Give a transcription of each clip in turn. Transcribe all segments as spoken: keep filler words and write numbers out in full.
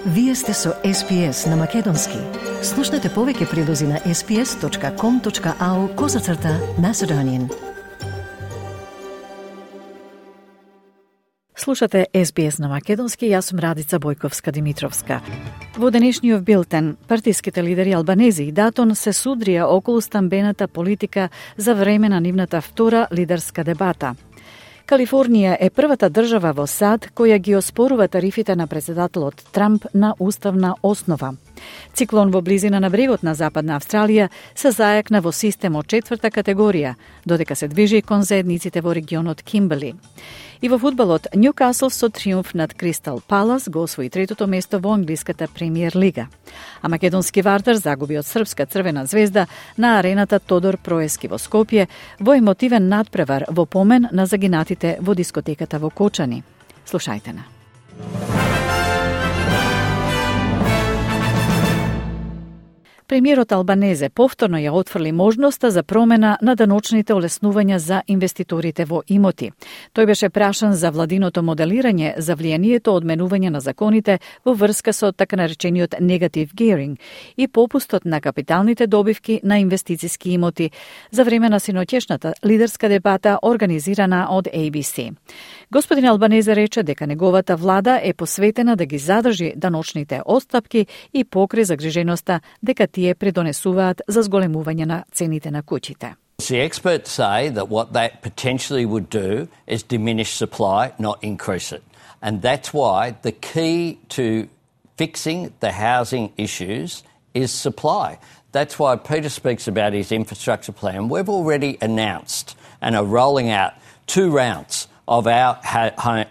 Вие сте со Ес Би Ес на Македонски. Слушнете повеќе прилози на ес би ес точка ком точка ау козацрта Macedonian. Слушате Ес Би Ес на Македонски, јас сум Радица Бојковска-Димитровска. Во денешниот билтен, партиските лидери Албанези и Датон се судрија околу стамбената политика за време на нивната втора лидерска дебата. Калифорнија е првата држава во САД која ги оспорува тарифите на председателот Трамп на уставна основа. Циклон во близина на брегот на Западна Австралија се зајакна во систем од четврта категорија, додека се движи кон заедниците во регионот Кимберли. И во фудбалот, Ньюкасл со триумф над Кристал Палас го освои третото место во англиската премиер лига. А македонски вартар загуби од српска Црвена звезда на арената Тодор Проески во Скопје во емотивен надпревар во помен на загинатите во дискотеката во Кочани. Слушајте на. Премиерот Албанезе повторно ја отфрли можноста за промена на даночните олеснувања за инвеститорите во имоти. Тој беше прашан за владиното моделирање за влијанието од менување на законите во врска со така наречениот негатив геаринг и попустот на капиталните добивки на инвестициски имоти за време на синоќешната лидерска дебата организирана од Ей Би Си. Господин Албанезе рече дека неговата влада е посветена да ги задржи даночните отстапки и покри загриженоста дека тие предонесуваат за зголемување на цените на куќите. The experts say that what that potentially would do is diminish supply, not increase it. And that's why the key to fixing the housing issues is supply. That's why Peter speaks about his infrastructure plan. We've already announced and are rolling out two rounds of our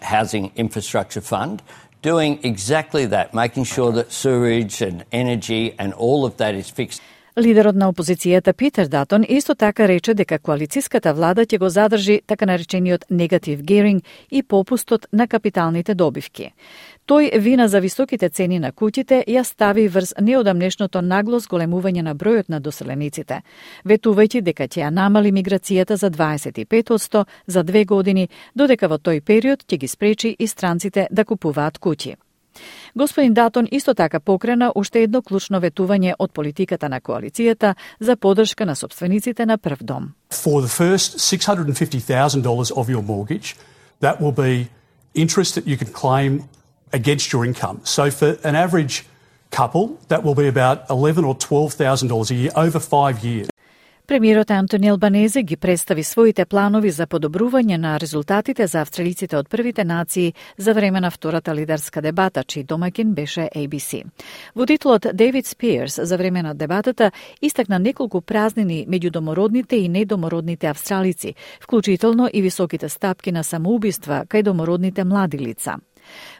housing infrastructure fund, doing exactly that, making sure that sewerage and energy and all of that is fixed. Лидерот на опозицијата Питер Датон исто така рече дека коалициската влада ќе го задржи така наречениот негатив геаринг и попустот на капиталните добивки. Тој вина за високите цени на куќите ја стави врз неодамнешното нагло зголемување на бројот на доселениците, ветувајќи дека ќе ја намали миграцијата за дваесет и пет одсто за две години, додека во тој период ќе ги спречи и странците да купуваат куќи. Господин Датон исто така покрена уште едно клучно ветување од политиката на коалицијата за поддршка на собствениците на прв дом. For the first six hundred fifty thousand dollars of your mortgage, that will be interest that you can claim against your income. So for an average couple, that will be about eleven or twelve thousand dollars a year over five years. Премиерот Антони Албанезе ги представи своите планови за подобрување на резултатите за австралиците од првите нации за време на втората лидерска дебата, чиј домаќин беше Ей Би Си. Водителот Дейвид Спиерс за време на дебатата истакна неколку празнини меѓу домородните и недомородните австралици, вклучително и високите стапки на самоубиства кај домородните млади лица.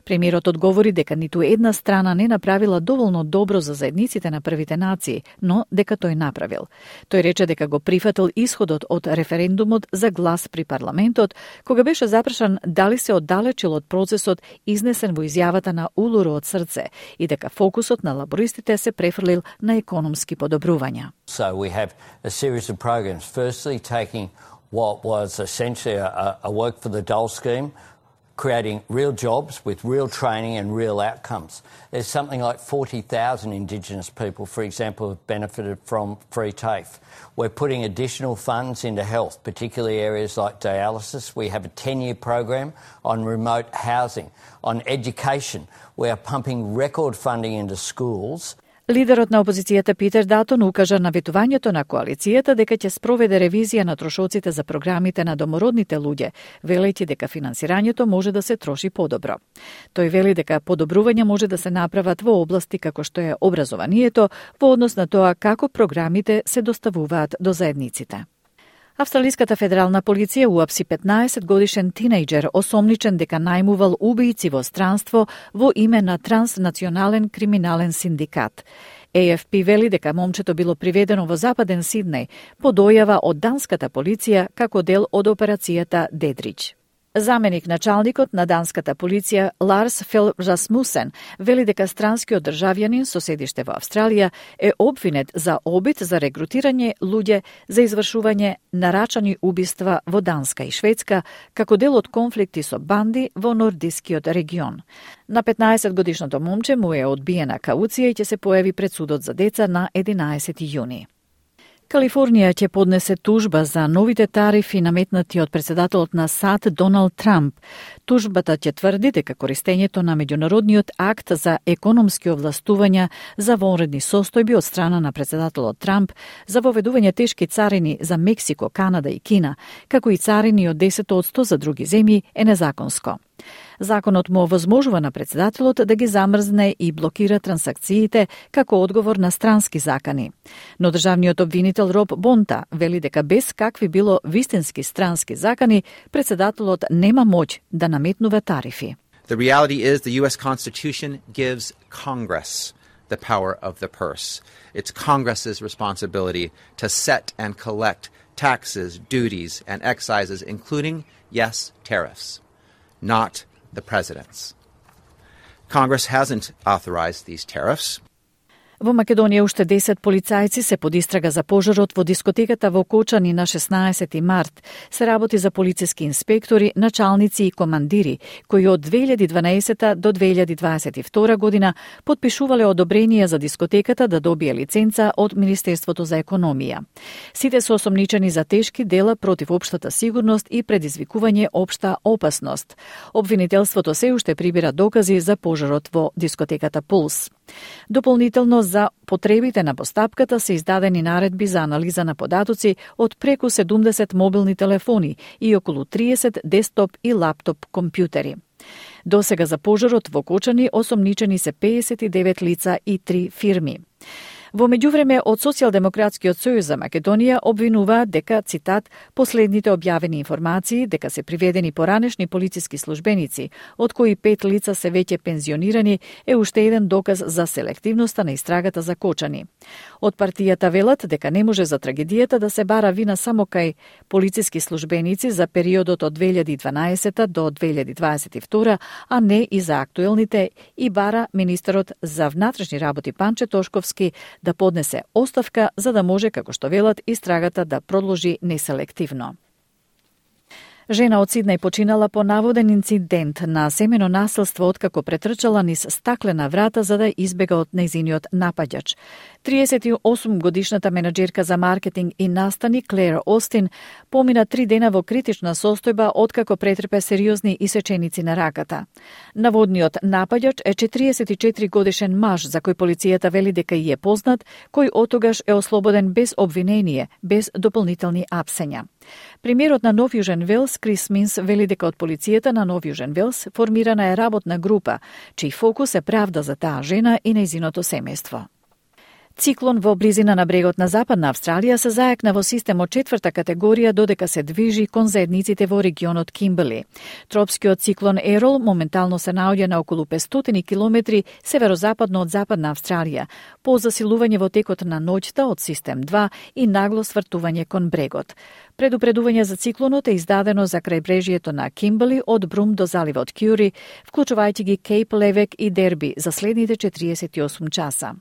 Премиерот одговори дека ниту една страна не направила доволно добро за заедниците на првите нации, но дека тој направил. Тој рече дека го прифатил исходот од референдумот за глас при парламентот, кога беше запрашан дали се оддалечил од процесот изнесен во изјавата на Улуру од срце и дека фокусот на лабористите се префрлил на економски подобрувања. So we have a series of programs. Firstly, taking what was essentially a, a work for the dole scheme, creating real jobs with real training and real outcomes. There's something like forty thousand Indigenous people, for example, have benefited from free TAFE. We're putting additional funds into health, particularly areas like dialysis. We have a ten-year program on remote housing. On education, we are pumping record funding into schools. Лидерот на опозицијата Питер Датон укажа на ветувањето на коалицијата дека ќе спроведе ревизија на трошоците за програмите на домородните луѓе, велејќи дека финансирањето може да се троши подобро. Тој вели дека подобрувања може да се направат во области како што е образованието во однос на тоа како програмите се доставуваат до заедниците. Австралиската федерална полиција уапси петнаесет годишен тинејџер осомничен дека најмувал убијци во странство во име на транснационален криминален синдикат. Ей Еф Пи вели дека момчето било приведено во Западен Сиднеј по дојава од данската полиција како дел од операцијата Дедридж. Заменик началникот на данската полиција Ларс Фел Расмусен вели дека странскиот државјанин со седиште во Австралија е обвинет за обид за регрутирање луѓе за извршување нарачани убиства во Данска и Шведска како дел од конфликти со банди во нордискиот регион. На петнаесет годишното момче му е одбиена кауција и ќе се појави пред судот за деца на единаесети јуни. Калифорнија ќе поднесе тужба за новите тарифи наметнати од председателот на САД Доналд Трамп. Тужбата ќе тврди дека користењето на меѓународниот акт за економски овластувања за вонредни состојби од страна на председателот Трамп за воведување тешки царини за Мексико, Канада и Кина, како и царини од десет одсто за други земји, е незаконско. Законот му овозможува на председателот да ги замрзне и блокира трансакциите како одговор на странски закани. Но државниот обвинител Роб Бонта вели дека без какви било вистински странски закани, председателот нема моќ да наметнува тарифи. The reality is the U S Constitution gives Congress the power of the purse. It's Congress's responsibility to set and collect taxes, duties, and excises, including, yes, tariffs, not the president's. Congress hasn't authorized these tariffs. Во Македонија уште десет полицајци се под истрага за пожарот во дискотеката во Кочани на шеснаесети март. Се работи за полициски инспектори, началници и командири, кои од две илјади и дванаесета до две илјади дваесет и втора година подпишувале одобрение за дискотеката да добие лиценца од Министерството за економија. Сите се осомничени за тешки дела против општата сигурност и предизвикување општа опасност. Обвинителството се уште прибира докази за пожарот во дискотеката Пулс. Дополнително за потребите на постапката се издадени наредби за анализа на податоци од преку седумдесет мобилни телефони и околу триесет десктоп и лаптоп компјутери. Досега за пожарот во Кочани осомничени се пеесет и девет лица и три фирми. Во меѓувреме од Социјалдемократскиот сојуз за Македонија обвинуваат дека, цитат, последните објавени информации дека се приведени поранешни полициски службеници, од кои пет лица се веќе пензионирани, е уште еден доказ за селективноста на истрагата за Кочани. Од партијата велат дека не може за трагедијата да се бара вина само кај полициски службеници за периодот од две илјади и дванаесета до две илјади дваесет и втора, а не и за актуелните, и бара министерот за внатрешни работи Панче Тошковски да поднесе оставка за да може, како што велат, истрагата да продолжи неселективно. Жена од Сиднеј починала по наводен инцидент на семено насилство откако претрчала низ стаклена врата за да избега од нејзиниот напаѓач. триесет и осум годишната менаџерка за маркетинг и настани Клер Остин помина три дена во критична состојба откако претрпе сериозни исеченици на раката. Наводниот напаѓач е четириесет и четири годишен маж за кој полицијата вели дека и е познат, кој отогаш е ослободен без обвинение, без дополнителни апсења. Премиерот на Нов Јужен Велс Крис Минс вели дека од полицијата на Нов Јужен Велс формирана е работна група, чиј фокус е правда за таа жена и нејзиното семејство. Циклон во близина на брегот на Западна Австралија се зајакна во систем од четврта категорија додека се движи кон заедниците во регионот Кимберли. Тропскиот циклон Ерол моментално се наоѓа на околу петстотини километри северозападно од Западна Австралија, по засилување во текот на ноќта од систем два и нагло свртување кон брегот. Предупредување за циклонот е издадено за крајбрежјето на Кимберли од Брум до заливот Кјури, вклучувајќи ги Кейп Левек и Дерби за следните четириесет и осум часа.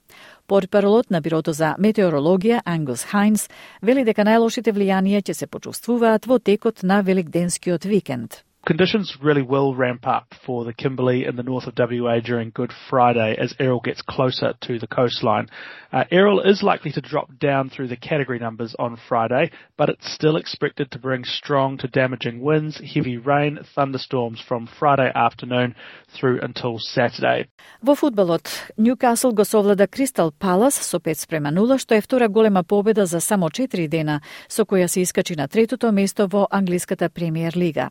Портпаролот на Бирото за метеорологија Ангус Хайнс вели дека најлошите влијанија ќе се почувствуваат во текот на великденскиот викенд. Conditions really will ramp up for the Kimberley in the north of W A during Good Friday as Errol gets closer to the coastline. Uh, Errol is likely to drop down through the category numbers on Friday, but it's still expected to bring strong to damaging winds, heavy rain, thunderstorms from Friday afternoon through until Saturday. Во фудбалот, Ньюкасл го совлада Кристал Палас со пет спрема нула, што е втора голема победа за само четири дена, со која се искачи на третото место во англиската премиер лига.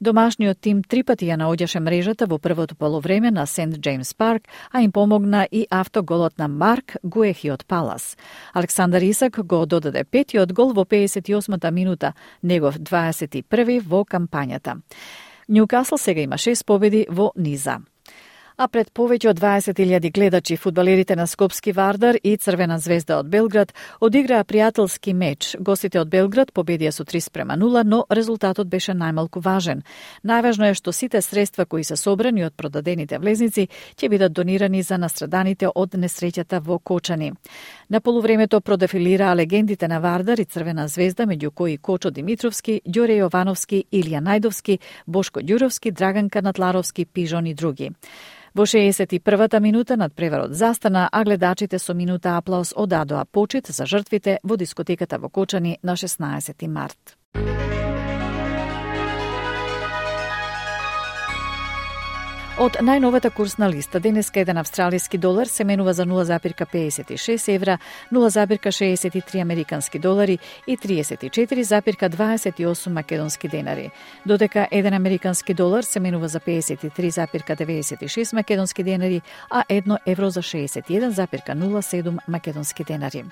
Домашниот тим три пати ја наоѓаше мрежата во првото полувреме на Сент Джеймс Парк, а им помогна и автоголот на Марк Гуехи од Палас. Александар Исак го додаде петиот гол во пеесет и осмата минута, негов дваесет и први во кампањата. Ньюкасл сега има шест победи во низа. А пред повеќе од дваесет илјади гледачи, фудбалерите на Скопски Вардар и Црвена звезда од Белград одиграа пријателски меч. Гостите од Белград победија со три спрема нула, но резултатот беше најмалку важен. Најважно е што сите средства кои се собрани од продадените влезници ќе бидат донирани за настраданите од несреќата во Кочани. На полувремето продефилираа легендите на Вардар и Црвена звезда, меѓу кои Кочо Димитровски, Ѓоре Јовановски, Илија Најдовски, Бошко Ѓуровски, Драган Канатларовски, Пижон и други. Во шеесет и првата минута надпреварот застана, а гледачите со минута аплауз одадоа почит за жртвите во дискотеката во Кочани на шеснаесети март. Од најновата курсна листа, денеска еден австралиски долар се менува за нула запирка педесет и шест евра, нула запирка шеесет и три американски долари и триесет и четири запирка дваесет и осум македонски денари. Додека еден американски долар се менува за педесет и три запирка деветдесет и шест македонски денари, а едно евро за шеесет и еден запирка нула седум македонски денари.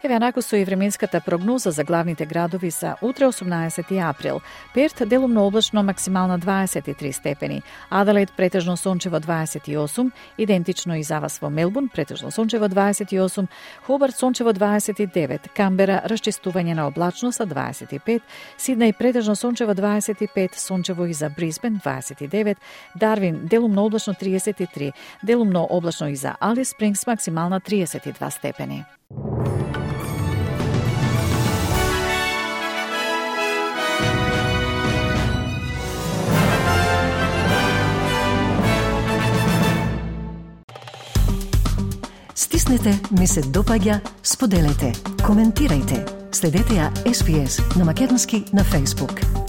Еве анаку со и временската прогноза за главните градови за утре осумнаесети април. Перт делумно облачно, максимална дваесет и три степени. Аделаид претежно сончево дваесет и осум, идентично и за вас во Мелбурн, претежно сончево дваесет и осум, Хобарт сончево дваесет и девет, Камбера расчистување на облачност дваесет и пет, Сиднеј претежно сончево дваесет и пет, сончево и за Брисбен дваесет и девет, Дарвин делумно облачно триесет и три, делумно облачно и за Алис Спрингс, максимална триесет и два степени. Стиснете, ми се допаѓа, споделете, коментирајте. Следете ја Ес Би Ес на македонски на Facebook.